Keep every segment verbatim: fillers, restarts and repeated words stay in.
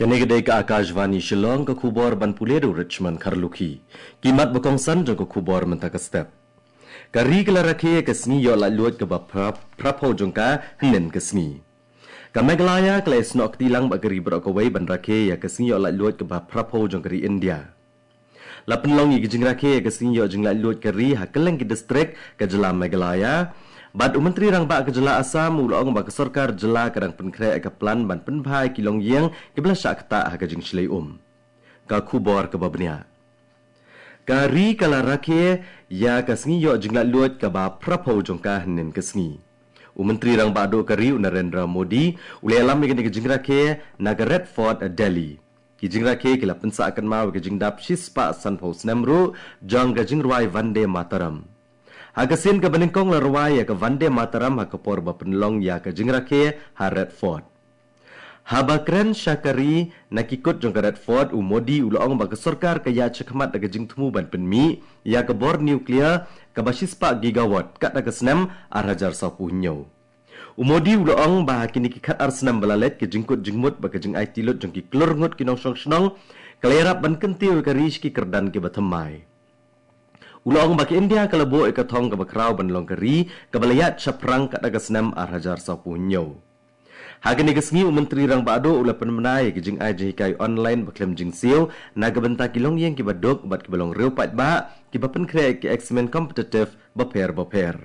Kane ka dei ka Akashvani Shillong, ka khubor ban pule da u Richmond Kharlukhi. Ki mat ba kongsan jong ka khubor mynta ka step. Ka ri ka la rakhe ïa ka sngi ïoh laitluid kaba phra-, phraphew jong ka hynnin ka sngi. Ka Meghalaya ka la ïasnoh kti lang bad ka ri baroh kawei ban rakhe ïa ka sngi ïoh laitluid kaba phraphew jong ka ri India. La pynlong ïa ka jingrakhe ïa ka sngi ïoh jinglaitluid ka ri ha kylleng ki distrik ka jylla Meghalaya. Bad u Myntri Rangbah ka jylla Assam u la ong ba ka sorkar jylla ka dang pynkhreh ïa ka plan ban pynbha ïa ki longïing kiba la shah ktah ha ka jingshlei um. Ka khubor kaba bniah. Ka ri ka la rakhe ïa ka sngi ïoh jinglaitluid kaba phraphew jong ka hynnin ka sngi. U Myntri Rangbah Duh ka ri u Narendra Modi u la ïalam ïa kane ka jingrakhe na ka Red Fort, Delhi. Ki jingrakhe ki la pynsah kynmaw ïa ka jingdap shispah sanphew snem ruh jong ka jingrwai Vande Mataram. Ha ka sien kaba nyngkong la rwai ïa ka Vande Mataram ha ka por ba pynlong ïa ka jingrakhe ha Red Fort. Haba kren sha ka ri na ki kut jong ka Red Fort, u Modi u la ong ba ka sorkar ka ïaid shakhmat da ka jingthmu ban pynmih ïa ka bor nuclear kaba shispah gigawatt katba ka snem ar hajar sawphew hynñiew. U Modi u la ong ba ha kine ki khatar snem ba la leit, ka jingkut jingmut bad ka jingaiti lut jong ki klur ngut ki nongshong shnong ka la ïarap ban kyntiew ïa ka ri sha ki kyrdan kiba thymmai. U la ong ba ka India ka la buh ïa ka thong kaba khraw ban long ka ri kaba la ïaid shaphrang katba ka snem ar hajar sawphew hynñiew. Ha kane ka sngi u Myntri Rangbah Duh u la pynbna ïa ka jingai jinghikai online ba khlem jingsiew na ka bynta ki longïing kiba duk bad kiba long riew paidbah kiba pynkhreh ïa ka exam competitive bapher bapher.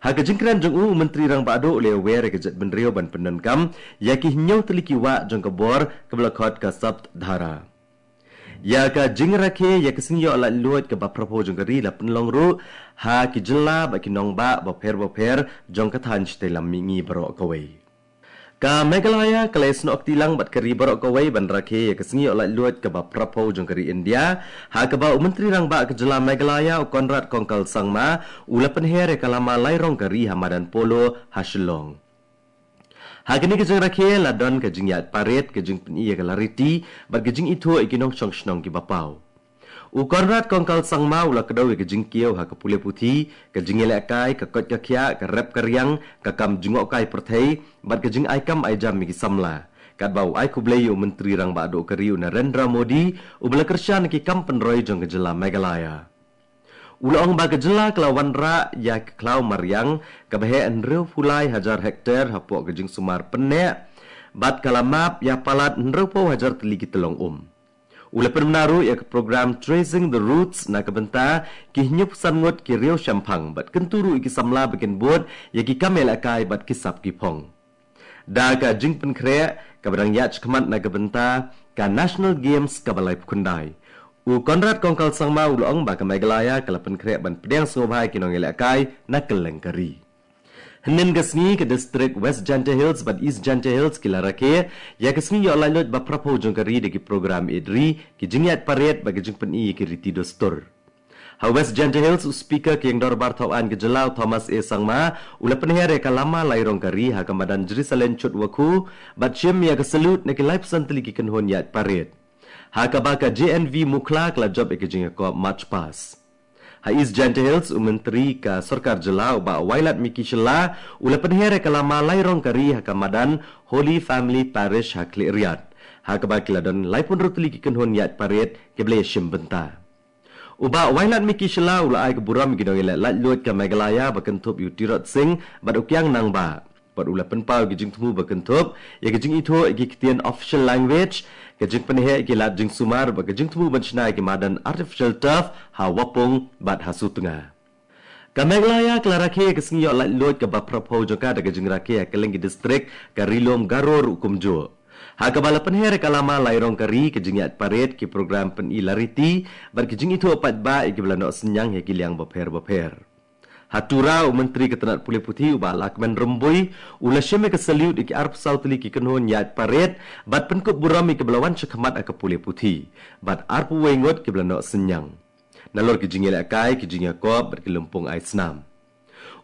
Ha ka jingkren jong u, u Myntri Rangbah Duh u la ïawer ïa ka jaitbynriew ban pyndonkam ïa ki hynñiew tylli ki wah jong ka bor kaba la khot ka Sapt Dhara. Ïa ka jingrakhe ïa ka sngi ïoh laitluid kaba phraphew jong ka ri la pynlong ruh ha ki jylla bad ki nongbah bapher bapher jong ka thaiñ shatei lam mihngi baroh kawei. Ka Meghalaya ka la ïasnoh kti lang bad ka ri baroh kawei ban rakhe ïa ka sngi ïoh laitluid kaba phraphew jong ka ri India, ha kaba u Myntri Rangbah ka jylla Meghalaya u Conrad Kongkal Sangma u la pynher ïa ka lama lai rong ka ri ha madan Polo ha Shillong. Ha kane ka jingrakhe la don ka jingïaid paret, ka jingpyni ïa ka lariti bad ka jingithuh ïa ki nongshong shnong kiba paw. U Conrad Kongkal Sangma u la kdew ïa ka jingkiew ha ka pule puthi, ka jingïalehkai, ka koit ka khiah, ka rep ka riang, ka kam jngohkai pyrthei bad ka jingai kam ai jam ïa ki samla, katba u ai khublei ïa u Myntri Rangbah Duh ka ri u Narendra Modi uba la kyrshan ïa ki kam pynroi jong ka jylla Meghalaya. U la ong ba ka jylla ka la wanrah ïa ka khlaw mariang kaba heh hynriewphew lai hajar hektar hapoh ka jingsumar pynneh bad ka la map ïa palat hynriewphew hajar tylli ki tyllong um. U la pynbna ruh ïa ka program Tracing the Roots na ka bynta ki hynñiewphew san ngut ki riewshemphang bad kyntu ruh ïa ki samla ba kin bud ïa ki kam ïalehkai bad ki sap ki phong. Da ka jingpynkhreh kaba dang ïaid shakhmat na ka bynta ka National Games kaba laiphew khyndai, u Conrad Kongkal Sangma u la ong ba ka Meghalaya ka la pynkhreh ban pdiang sngewbha ïa ki nongïalehkai na kylleng ka ri. Hynnin ka sngi ka distrik West Jaintia Hills bad East Jaintia Hills ki la rakhe ïa ka sngi ïoh laitluid ba phraphew jong ka ri da ki program ïeit ri, ki jingïaid paret bad ki jingpyni ïa ki riti dustur. Ha West Jaintia Hills, u Speaker ka Ïing Dorbar Thawaiñ ka jylla u Thomas A Sangma u la pynher ïa ka lama lai rong ka ri ha ka madan Jerusalem Chutwakhu bad shim ïa ka salute na ki laiphew san tylli ki kynhun ïaid paret, ha kaba ka J N V Mukhla ka la jop ïa ka jingïakob March Past. Ha East Jaintia Hills, u Myntri ka Sorkar Jylla u Bah Wailadmiki Shylla u la pynher ïa ka lama lai rong ka ri ha ka madan Holy Family Parish ha Khliehriat, ha kaba ki la don laiphew hynriew tylli ki kynhun ïaid paret kiba la ïashim bynta. U Bah Wailadmiki Shylla u la ai ka burom ïa ki nongïaleh laitluid ka Meghalaya ba kynthup ïa u Tirot Sing bad u Kiang Nangbah, bad u la pynpaw ïa ki jingthmu ba kynthup ïa ki jingithuh ïa ki ktien official language, ka jingpynheh ïa ki lad jingsumar bad ka jingthmu ban shna ïa ki madan artificial turf ha Wapung bad ha Sutnga. Ka Meghalaya ka la rakhe ïa ka sngi ïoh laitluid kaba phraphew jong ka da ka jingrakhe ha kylleng ki distrik, ka Ri-lum Garo ruh kumjuh, ha kaba la pynher ïa ka lama lai rong ka ri, ka jingïaid paret, ki program pyni lariti bad ki jingithuh paidbah ïa kiba la noh synñiang ha ki liang bapher bapher. Ha Tura, u Myntri ka tnat pule puthi u Bah Lahkmen Rymbui u la shim ïa ka salute ïa ki arphew saw tylli ki kynhun ïaid paret bad pynkup burom ïa kiba la wan shakhmat ha ka pule puthi bad arphew wei ngut kiba la noh synñiang. Nalor ki jingïalehkai, ki jingïakob bad ki lympung ai snam,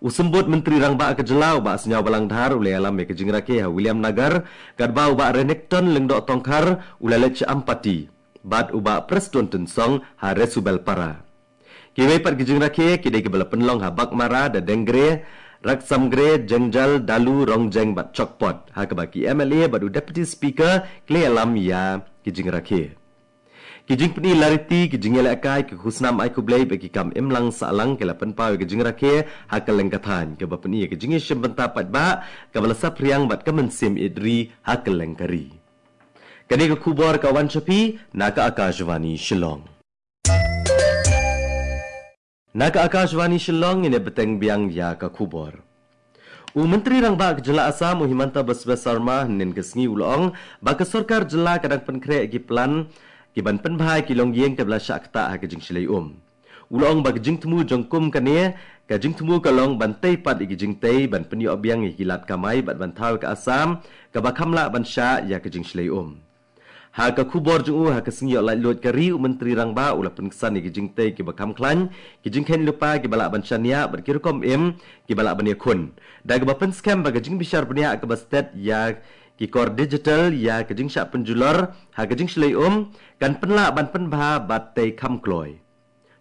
u Symbud Myntri Rangbah ka jylla u Bah Sniawbhalang Dhar u la ïalam ïa ka jingrakhe ha Williamnagar, katba u Bah Renikton Lyngdoh Tongkhar u la leit sha Ampati bad u Bah Prestone Tynsong ha Resubelpara. Kiwei pat ki jingrakhe ki dei kiba la pynlong ha Baghmara da Dengre, Raksamgre, Jengjal, Dalu, Rongjeng bad Chokpot, ha kaba ki M L A bad u Deputy Speaker ki la ïalam ïa ki jingrakhe. Ki jingpyni lariti, ki jingïalehkai, ki khusnam ai khublei bad ki kam imlang sahlang ki la pynpaw ïa ki jingrakhe ha kylleng ka thaiñ, kaba pyni ïa ki jingïashim bynta paidbah kaba la saphriang bad ka mynsiem ïeit ri ha kylleng ka ri. Kane ka khubor ka wan sha phi na ka Akashvani Shillong. Na ka Akashvani Shillong, ngin ïa bteng biang ïa ka khubor. U Myntri Rangbah ka Jylla Assam, u Himanta Biswa Sarma, hynnin ka sngi u la ong ba ka sorkar jylla ka dang pynkhreh ïa ki plan ki ban pynbha ïa ki longïing kiba la shah ktah ha ka jingshlei um. U la ong ba ka jingthmu jong kum kane, ka jingthmu ka long ban tei pat ïa ki jingtei, ban pynïoh biang ïa ki lad kamai bad ban thaw ïa ka Assam kaba kham lah ban shah ïa ka jingshlei um. Ha ka khubor jong u ha ka sngi ïoh laitluid ka ri, u Myntri Rangbah u la pynksan ïa ki jingtei kiba kham khlaiñ, ki jingkheiñ lypa kiba lah ban shaniah bad ki rukom im kiba lah ban ïakhun, da kaba pynskhem ba ka jingbishar bniah kaba stet ïa ki kor digital ïa ka jingshah pynjulor ha ka jingshlei um kan pynlah ban pynbha bad tei kham kloi.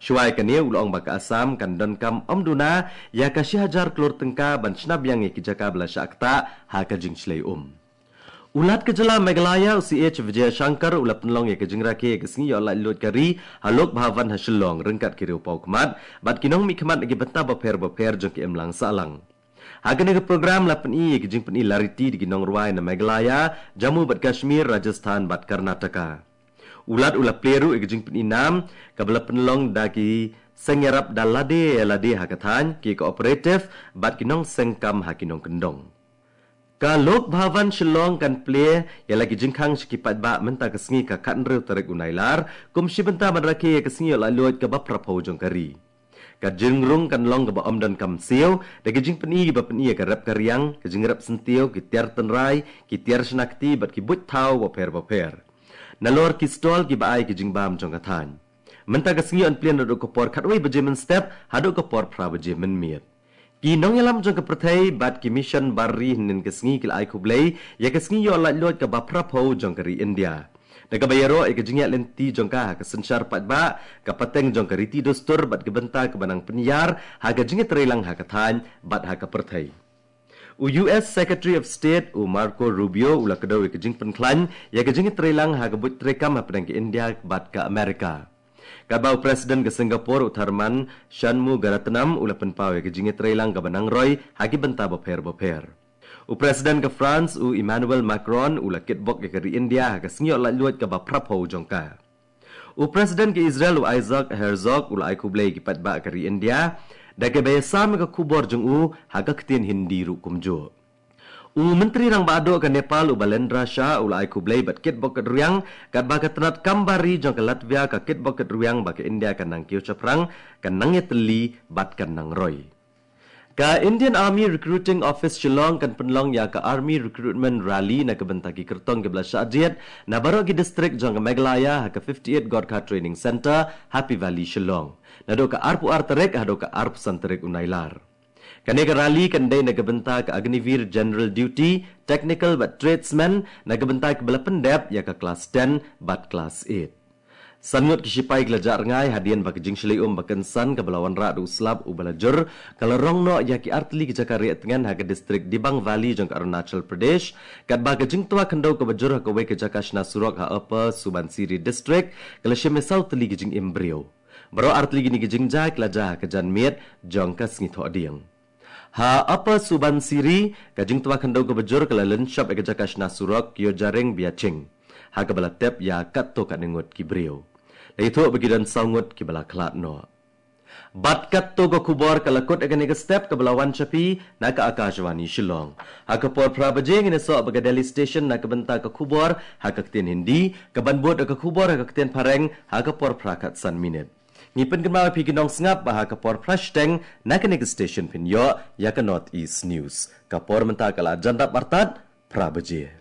Shuwa ïa kane u la ong ba ka Assam kan donkam ym duna ïa ka shi hajar klur tyngka ban shna biang ïa ki jaka ba la shah ktah ha ka jingshlei um. U Lat ka Jylla Meghalaya, u C H Vijayashankar u la pynlong ïa ka jingrakhe ïa ka sngi ïoh laitluid ka ri ha Lok Bhavan ha Shillong ryngkat ki riewpawkhmat bad ki nongmihkhmat na ki bynta bapher bapher jong ka imlang sahlang. Ha kane ka program la pyni ïa ka jingpyni lariti da ki nongrwai na Meghalaya, Jammu bad Kashmir, Rajasthan bad Karnataka. U Lat u la plie ruh ïa ka jingpyni nam kaba la pynlong da ki seng ïarap da lade ïa lade ha ka thaiñ, ki cooperative bad ki nongseng kam ha ki nongkyndong. Ka Lok Bhavan Shillong kan plie ïa la ki jingkhang sha ki paidbah mynta ka sngi ka khathynriew tarik u Nailar, kum shi bynta ban rakhe ïa ka sngi ïoh laitluid kaba phraphew jong ka ri. Ka jingrung kan long kaba ym donkam siew, da ki jingpyni kiba pyni ïa ka rep ka riang, ka jingrep syntiew, ki tiar tynrai, ki tiar shna kti bad ki buit thaw bapher bapher. Nalor ki stall kiba ai ki jingbam jong ka thaiñ. Mynta ka sngi yn plie naduh ka por khatwei baje mynstep haduh ka por phra baje mynmiet. Ki nongïalam jong ka pyrthei bad ki mission bar ri hynnin ka sngi ki la ai khublei ïa ka sngi ïoh laitluid kaba phraphew jong ka ri India, da kaba ïaroh ïa ka jingïaid lynti jong ka ha ka synshar paidbah, ka pateng jong ka riti dustur bad ka bynta kaba nang pynïar ha ka jingïatreilang ha ka thaiñ bad ha ka pyrthei. U U S Secretary of State, u Marco Rubio, u la kdew ïa ka jingpynkhlaiñ ïa ka jingïatreilang ha ka buit treikam hapdeng ka India bad ka Amerika. Katba u President ka Singapore, u Tharman Shanmugaratnam, u la pynpaw ïa ka jingïatreilang kaba nang roi ha ki bynta bapher bapher. U President ka France, u Emmanuel Macron, u la kitbok ïa ka ri India ha ka sngi ïoh laitluid kaba phraphew jong ka. U President ka Israel, u Isaac Herzog, u la ai khublei ïa ki paidbah ka ri India da kaba ïasam ïa ka khubor jong u ha ka ktien Hindi ruh kumjuh. U Myntri Rangbah Duh ka Nepal, u Balendra Shah, u la ai khublei bad kitbok kitrwiang katba ka tnat kam bar ri jong ka Latvia ka kitbok kitrwiang ba ka India kan nang kiew shaphrang, kan nang ïatylli bad kan nang roi. Ka Indian Army Recruiting Office Shillong kan pynlong ïa ka Army Recruitment Rally na ka bynta ki kyrtong kiba la shah jied na baroh ki district jong ka Meghalaya ha ka fifty-eight Gorkha Training Centre, Happy Valley, Shillong, naduh ka arphew ar tarik haduh ka arphew san tarik u Nailar. Kane ka rally kan dei na ka bynta ka Agniveer General Duty, Technical bad Tradesmen na ka bynta kiba la pyndep ïa ka Class ten bad Class eight. San ngut ki shipai ki la jah rngai hadien ba ka jingshlei um ba kynsan kaba la wanrah da u slap uba la jur ka la rong noh ïa ki artylli ki jaka rieh tngen ha ka district Dibang Valley jong ka Arunachal Pradesh, katba ka jingtwa khyndew kaba jur ha kawei ka jaka shna surok ha Upper Subansiri District ka la shim ïa saw tylli ki jingim briew. Baroh artylli kine ki jingjia ki la jia ha ka janmiet jong ka sngi Thohdieng. Ha Upper Subansiri, ka jingtwa khyndew kaba jur ka la lynshop ïa ka jaka shna surok Kyojaring Biaching, ha kaba la tep ïa katto katne ngut ki briew. La ïathuh ba ki don saw ngut kiba la khlad noh. Bad katto ka khubor ka la kut ïa kane ka step kaba la wan sha phi na ka Akashvani Shillong. Ha ka por phra baje ngin ïasoh bad ka Delhi Station na ka bynta ka khubor ha ka ktien Hindi, kaban bud ïa ka khubor ha ka ktien Phareng ha ka por phra khatsan minit. Ngi pynkynmaw ïa phi ki nongsngap ba ha ka por phra shiteng na kane ka station phin ïoh ïa ka North East News. Ka por mynta ka la jan dap artat phra baje.